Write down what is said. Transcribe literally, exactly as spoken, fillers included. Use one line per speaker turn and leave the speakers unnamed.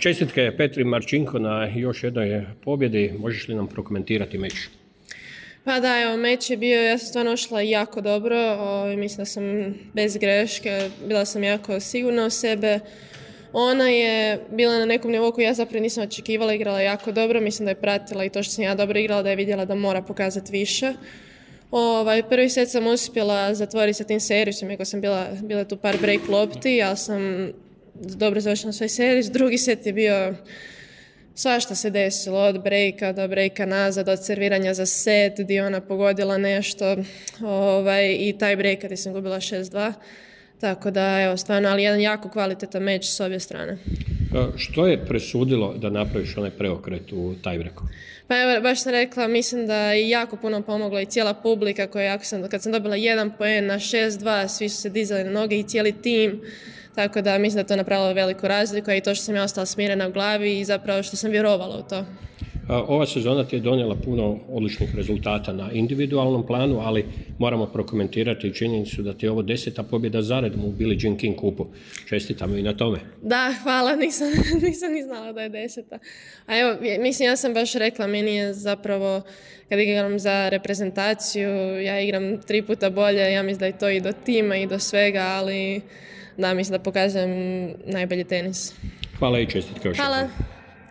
Čestitke Petri Marčinko na još jednoj pobjedi. Možeš li nam prokomentirati meč?
Pa da, evo, meč je bio, ja sam stvarno ušla jako dobro, o, mislim da sam bez greške, bila sam jako sigurna u sebe. Ona je bila na nekom nivou koji ja zapravo nisam očekivala, igrala jako dobro, mislim da je pratila i to što sam ja dobro igrala, da je vidjela da mora pokazati više. Ovaj, prvi set sam uspjela zatvoriti sa tim servisom, iako sam bila, bila tu par break lopti, ali sam dobro završila svoj servis. Drugi set je bio, svašta se desilo, od breaka do breaka nazad, od serviranja za set, gdje ona pogodila nešto, ovaj, i taj break gdje sam gubila šest dva. Tako da, evo, stvarno, ali jedan jako kvalitetan meč s obje strane.
Što je presudilo da napraviš onaj preokret u tiebreaku?
Pa evo, baš sam rekla, mislim da je jako puno pomogla i cijela publika koja, jako sam, kad sam dobila jedan poen na šest dva, svi su se dizali na noge i cijeli tim. Tako da mislim da to napravilo veliku razliku, a i to što sam ja ostala smirena u glavi i zapravo što sam vjerovala u to.
Ova sezona ti je donijela puno odličnih rezultata na individualnom planu, ali moramo prokomentirati i činjenicu da ti je ovo deseta pobjeda zaredom u Billie Jean King kupu. Čestitamo i na tome.
Da, hvala, nisam, nisam ni znala da je deseta. A evo, mislim, ja sam baš rekla, meni je zapravo, kad igram za reprezentaciju, ja igram tri puta bolje, ja mislim da je to i do tima i do svega, ali da, mislim da pokazujem najbolji tenis.
Hvala i čestitke još.
Hvala.